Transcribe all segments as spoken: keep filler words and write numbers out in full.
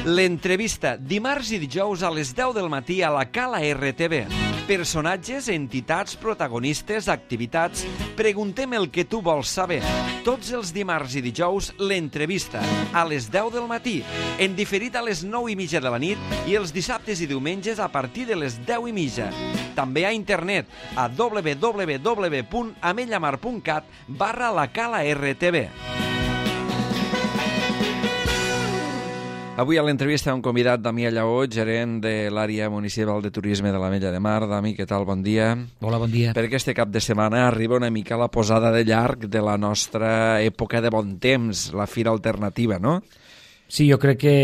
L'entrevista, dimarts i dijous a les deu del matí a la Cala R T V. Personatges, entitats, protagonistes, activitats... Preguntem el que tu vols saber. Tots els dimarts i dijous, l'entrevista, a les deu del matí, en diferit a les nou i mitja de la nit i els dissabtes i diumenges a partir de les deu i mitja. També a internet, a w w w punt amellamar punt cat barra la Cala R T V. Avui a l'entrevista un convidat, Damià Lleó, gerent de l'àrea municipal de turisme de l'Ametlla de Mar. Dami, què tal? Bon dia. Hola, bon dia. Per aquest cap de setmana arriba una mica la posada de llarg de la nostra època de bon temps, la Fira Alternativa, no? Sí, jo crec que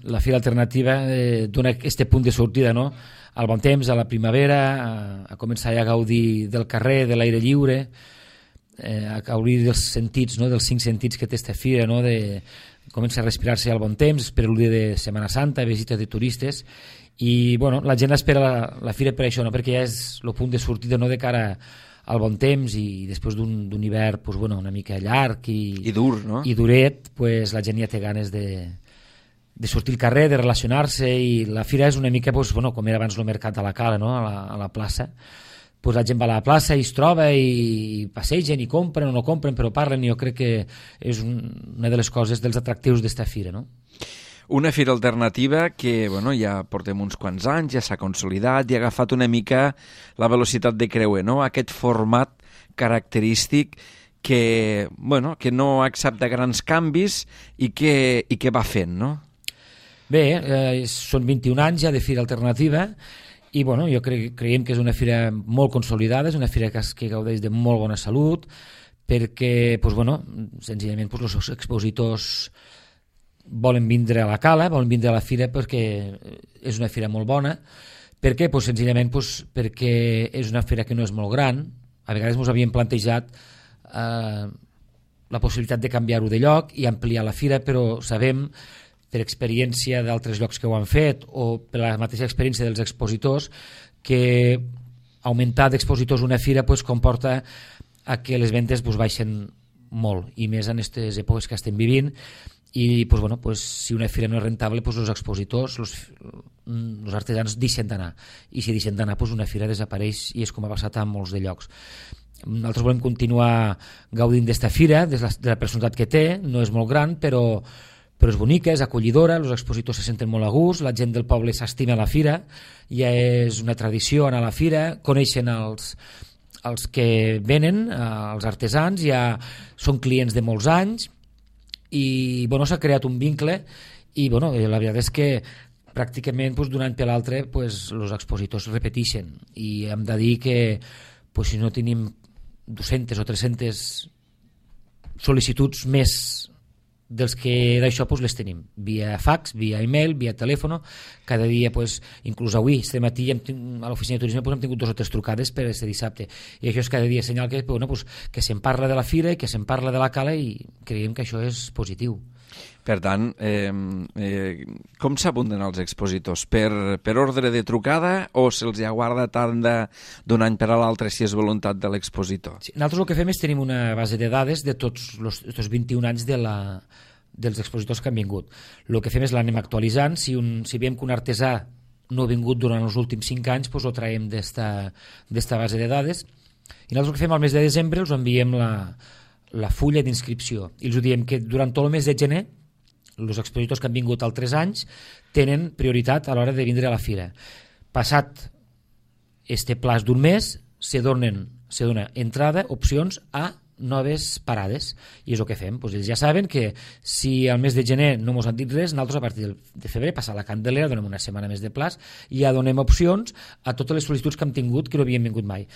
la Fira Alternativa eh, dona aquest punt de sortida, no?, al bon temps, a la primavera, a, a començar ja a gaudir del carrer, de l'aire lliure, eh, a gaudir dels sentits, no?, dels cinc sentits que té aquesta fira, no?, de... comença a respirar-se al bon temps, preludi de Setmana Santa, visita de turistes, i bueno, la gent espera la, la fira per això, no? Perquè ja és el punt de sortida, no?, de cara al bon temps, i després d'un hivern pues, bueno, una mica llarg i, I dur, no? i duret, pues, la gent ja té ganes de, de sortir al carrer, de relacionar-se, i la fira és una mica pues, bueno, com era abans el mercat a la Cala, no?, a la, a la plaça. Pues la gent va a la plaça i es troba i passegen i compren o no compren, però parlen, i jo crec que és un, una de les coses, dels atractius d'esta fira, no? Una fira alternativa que bueno, ja portem uns quants anys, ja s'ha consolidat i ha agafat una mica la velocitat de creuer, no? Aquest format característic que, bueno, que no accepta grans canvis i que, i que va fent, no? Bé, eh, són vint-i-un anys ja de fira alternativa, i bueno, jo cre creiem que és una fira molt consolidada, és una fira que, que gaudeix de molt bona salut, perquè pues, bueno, senzillament pues, els expositors volen vindre a la Cala, volen vindre a la fira perquè és una fira molt bona. Per què? Pues, senzillament pues, perquè és una fira que no és molt gran. A vegades ens havíem plantejat eh, la possibilitat de canviar-ho de lloc i ampliar la fira, però sabem per experiència d'altres llocs que ho han fet o per la mateixa experiència dels expositors que augmentar d'expositors una fira pues, comporta a que les ventes pues, baixen molt, i més en aquestes èpoques que estem vivint, i pues, bueno, pues, si una fira no és rentable pues, els expositors, els, els artesans deixen d'anar, i si deixen d'anar pues, una fira desapareix, i és com ha passat en molts de llocs. Nosaltres volem continuar gaudint d'esta fira, de la, de la personalitat que té, no és molt gran, però però és bonica, és acollidora, els expositors se senten molt a gust, la gent del poble s'estima a la fira, ja és una tradició anar a la fira, coneixen els, els que venen, els artesans, ja són clients de molts anys, i bueno, s'ha creat un vincle, i bueno, la veritat és que pràcticament pues, d'un any per l'altre pues, els expositors repeteixen, i hem de dir que pues, si no tenim dues-centes o tres-centes sol·licituds més dels que d'això pues, les tenim via fax, via email, via telèfon. Cada dia, pues, inclús avui este matí hem, a l'oficina de turisme pues, hem tingut dos o tres trucades per este dissabte, i això és cada dia senyal que, bueno, pues, que se'n parla de la fira i que se'n parla de la Cala, i creiem que això és positiu. Per tant, eh, eh, com s'abunden els expositors? Per, per ordre de trucada o se'ls aguarda tant d'un any per a l'altre si és voluntat de l'expositor? Sí, nosaltres el que fem és tenim una base de dades de tots els vint-i-un anys de la, dels expositors que han vingut. El que fem és l'anem actualitzant. Si, un, si veiem que un artesà no ha vingut durant els últims cinc anys, doncs ho traiem d'esta base de dades. I nosaltres el que fem al mes de desembre els enviem la, la fulla d'inscripció i els diem que durant tot el mes de gener els expositors que han vingut altres anys tenen prioritat a l'hora de vindre a la fira. Passat este plaç d'un mes, se donen, se dona entrada, opcions a noves parades, i és el que fem. Pues ells ja saben que si al mes de gener no ens han dit res, nosaltres a partir de febrer, passar la Candelera, donem una setmana més de plaç i ja donem opcions a totes les sol·licituds que hem tingut que no havien vingut mai.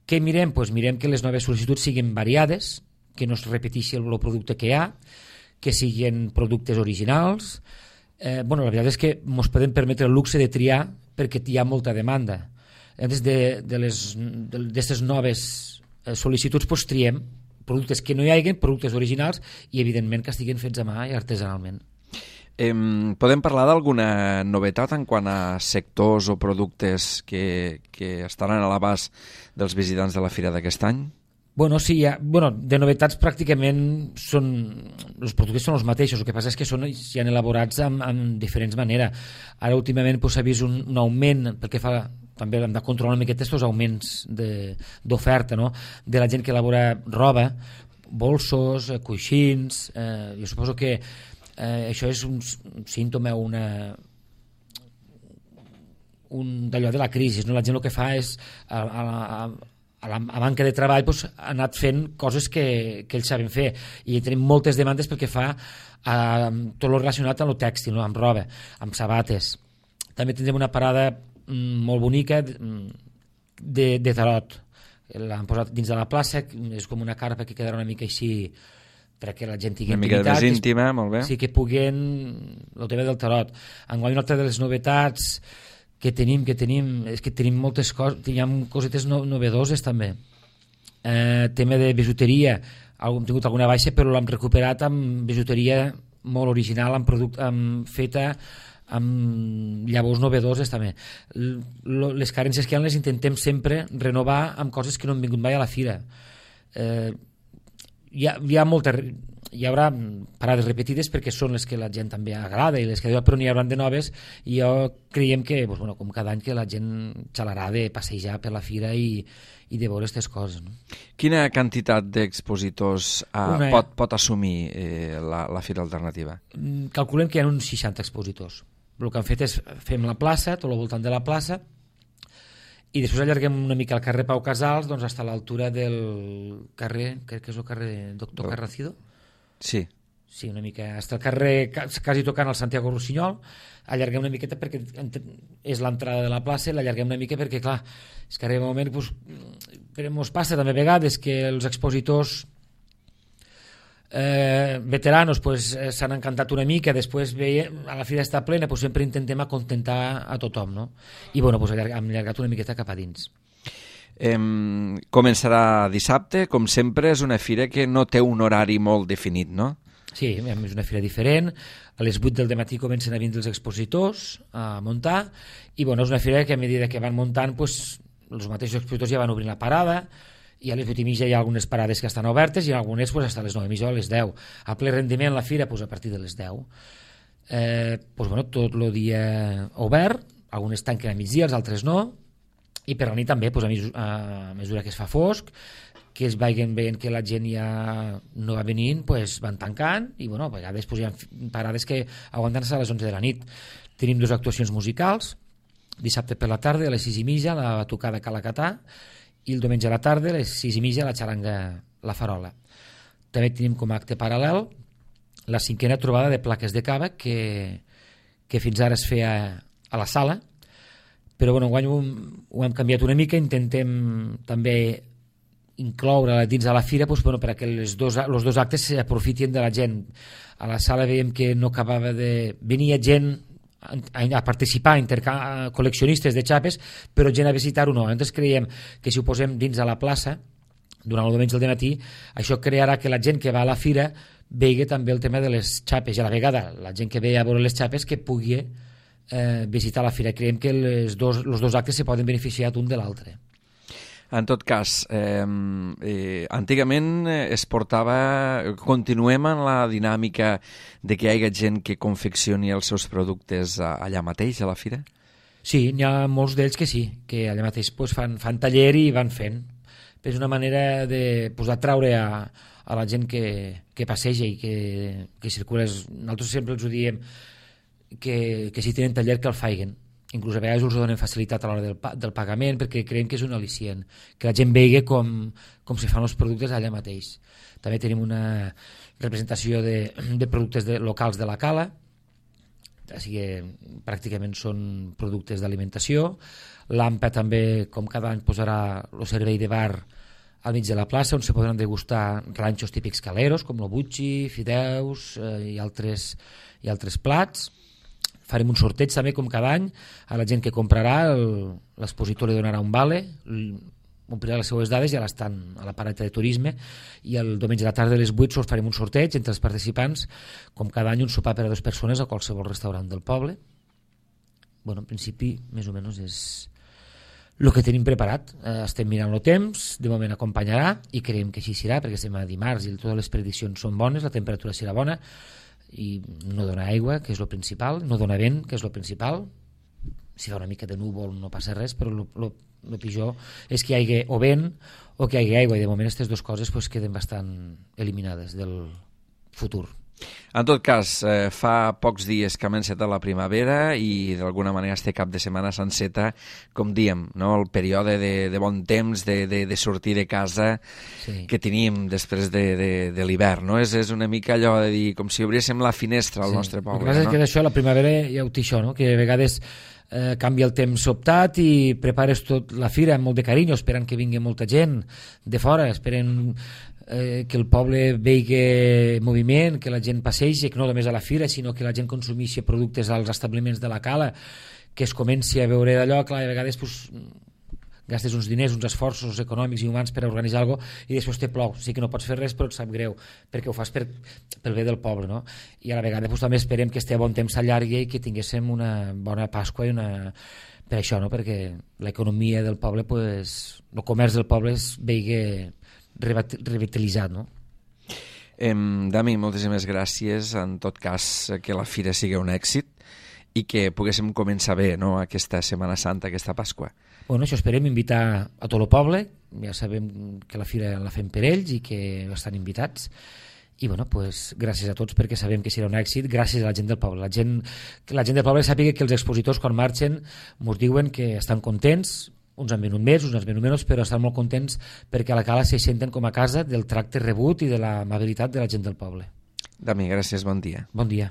Què mirem? Pues mirem que les noves sol·licituds siguin variades, que no es repeteixi el producte que hi ha, que siguin productes originals. Eh, bueno, la veritat és que ens podem permetre el luxe de triar perquè hi ha molta demanda. Des de, de les d'aquestes noves eh, sol·licituds pues, triem productes que no hi hagi, productes originals, i evidentment que estiguin fets a mà i artesanalment. Eh, podem parlar d'alguna novetat en quant a sectors o productes que, que estaran a l'abast dels visitants de la fira d'aquest any? Bueno, sí, ja, bueno, de novetats pràcticament són, els productes són els mateixos, el que passa és que són ja elaborats amb, amb diferents maneres. Ara últimament s'ha vist un, un augment, pel que fa, també hem de controlar una miqueta aquests augments d'oferta, no? De la gent que elabora roba, bolsos, coixins, eh, jo suposo que eh, això és un, un símptoma, una un d'allò de la crisi, no? La gent el que fa és a, a, a, a la a manca de treball doncs, ha anat fent coses que, que ells saben fer i tenim moltes demandes pel que fa a tot el relacionat amb el tèxtil, no? Amb roba, amb sabates. També tindrem una parada mm, molt bonica de, de tarot. L'han posat dins de la plaça, és com una carpa que quedarà una mica així perquè la gent tingui una mica intimitat, més íntima, molt bé. Sí, que puguen el tema del tarot. Enguany una altra de les novetats que tenim, que tenim, és que tenim moltes coses, tenim cosetes no, novedoses també. Eh, tema de bijuteria, hem tingut alguna baixa però l'hem recuperat amb bijuteria molt original, amb product, amb feta amb llavors novedoses també. L les carències que hi ha les intentem sempre renovar amb coses que no han vingut mai a la fira. Eh, hi, ha, hi ha molta hi haurà parades repetides perquè són les que la gent també agrada i les que però n'hi haurà de noves i jo creiem que doncs, bueno, com cada any que la gent xalarà de passejar per la fira i, i de veure aquestes coses, no? Quina quantitat d'expositors uh, Una... pot, pot assumir eh, la, la Fira Alternativa? Calculem que hi ha uns seixanta expositors. El que han fet és fem la plaça, tot al voltant de la plaça, i després allarguem una mica el carrer Pau Casals doncs, fins a l'altura del carrer, crec que és el carrer Doctor Carracido. Sí. Sí, una mica. Fins al carrer, quasi tocant el Santiago Rossinyol, allarguem una miqueta perquè és l'entrada de la plaça, l'allarguem una mica perquè, clar, és que arriba un moment, doncs, ens passa també a vegades que els expositors Eh, veteranos pues, eh, s'han encantat una mica, després veiem, a la fira està plena, pues, sempre intentem acontentar a tothom, no? I bueno, pues, allarg, hem allargat una miqueta cap a dins. Eh, començarà dissabte, com sempre és una fira que no té un horari molt definit, no? Sí, és una fira diferent, a les vuit del matí comencen a vindre els expositors a muntar, i bueno, és una fira que a mesura que van muntant pues, els mateixos expositors ja van obrint la parada, i a les vuit i mitja hi ha algunes parades que estan obertes i algunes pues, fins a les nou i mitja o a les deu. A ple rendiment la fira pues, a partir de les deu. Eh, pues, bueno, tot el dia obert, algunes tanquen a migdia, els altres no, i per la nit també, pues, a, mesura, a mesura que es fa fosc, que es vagin veient que la gent ja no va venint, pues, van tancant, i bueno, a vegades pues, hi ha parades que aguanten a les onze de la nit. Tenim dues actuacions musicals, dissabte per la tarda, a les sis i mitja, la tocada Calacatà, i el diumenge a la tarda, a les sis i mitja, la xaranga La Farola. També tenim com a acte paral·lel la cinquena trobada de plaques de cava que, que fins ara es feia a la sala, però bueno, enguany ho, ho hem canviat una mica, intentem també incloure dins de la fira doncs, bueno, perquè els dos, els dos actes s'aprofitin de la gent. A la sala veiem que no acabava de... Venia gent a participar, a col·leccionistes de xapes, però gent a visitar-ho no. Nosaltres creiem que si ho posem dins de la plaça, durant el diumenge del matí, això crearà que la gent que va a la fira vegi també el tema de les xapes, i a la vegada la gent que ve a veure les xapes que pugui eh, visitar la fira. Creiem que els dos, els dos actes se poden beneficiar un de l'altre. En tot cas, eh, eh, antigament es portava, continuem en la dinàmica de que hi hagi gent que confeccioni els seus productes allà mateix, a la fira? Sí, n'hi ha molts d'ells que sí, que allà mateix pues, fan, fan taller i van fent. És una manera de pues, atraure a, a la gent que, que passeja i que, que circula. Nosaltres sempre els ho diem que, que si tenen taller que el faiguen. Inclús a vegades us donen facilitat a l'hora del, del pagament perquè creiem que és un al·licient, que la gent vegi com, com se fan els productes allà mateix. També tenim una representació de, de productes de, locals de la Cala, o sigui, pràcticament són productes d'alimentació. L'A M P A també, com cada any, posarà el servei de bar al mig de la plaça, on se podran degustar ranxos típics caleros, com el butxi, fideus eh, i, altres, i altres plats. Farem un sorteig també, com cada any, a la gent que comprarà, l'expositor li donarà un vale, omplirà les seues dades i ja l'estan a la parada de turisme, i el diumenge a la tarda a les vuit farem un sorteig entre els participants, com cada any un sopar per a dues persones a qualsevol restaurant del poble. Bueno, en principi, més o menys és... el que tenim preparat. Eh, estem mirant el temps, de moment acompanyarà i creiem que així serà, perquè estem a dimarts i totes les prediccions són bones, la temperatura serà bona i no dona aigua, que és el principal, no dona vent, que és el principal. Si fa una mica de núvol no passa res, però el pitjor és que hi hagi o vent o que hi hagi aigua, i de moment aquestes dues coses pues, queden bastant eliminades del futur. En tot cas, eh, fa pocs dies que hem encetat la primavera i d'alguna manera este cap de setmana s'enceta, com diem, no? El període de, de bon temps, de, de, de sortir de casa sí. que teníem després de, de, de l'hivern, no? És, és una mica allò de dir, com si obréssim la finestra al sí. nostre poble. El que passa no? és que d'això, la primavera ja ho té això, no? Que a vegades eh, canvia el temps sobtat i prepares tot la fira amb molt de carinyo, esperant que vingui molta gent de fora, esperen eh, que el poble vegi moviment, que la gent passegi, que no només a la fira, sinó que la gent consumeixi productes als establiments de la cala, que es comenci a veure d'allò, clar, a vegades pues, gastes uns diners, uns esforços econòmics i humans per a organitzar alguna cosa i després te plou, sí que no pots fer res però et sap greu, perquè ho fas per, pel bé del poble, no? I a la vegada pues, també esperem que este bon temps s'allargui i que tinguéssim una bona Pasqua i una... per això, no? Perquè l'economia del poble, pues, el comerç del poble es vegi revitalitzat, no? Eh, Dami, moltíssimes gràcies, en tot cas que la fira sigui un èxit i que poguéssim començar bé, no? Aquesta Setmana Santa, aquesta Pasqua. Bueno, això esperem invitar a tot el poble, ja sabem que la fira la fem per ells i que estan invitats, i bueno, pues, gràcies a tots perquè sabem que serà un èxit, gràcies a la gent del poble. La gent, la gent del poble sàpiga que els expositors quan marxen ens diuen que estan contents, uns han venut més, uns han venut menys, però estan molt contents perquè a la cala se senten com a casa del tracte rebut i de l'amabilitat de la gent del poble. Dami, gràcies, bon dia. Bon dia.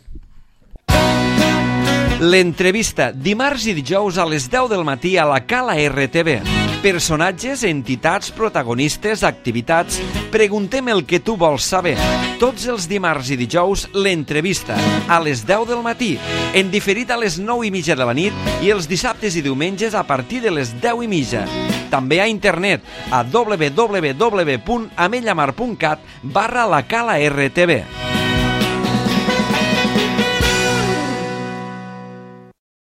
L'entrevista, dimarts i dijous a les deu del matí a la Cala R T V. Personatges, entitats, protagonistes, activitats... Preguntem el que tu vols saber. Tots els dimarts i dijous, l'entrevista, a les deu del matí, en diferit a les nou i mitja de la nit i els dissabtes i diumenges a partir de les deu i mitja. També a internet a w w w punt amellamar punt cat barra la Cala R T V.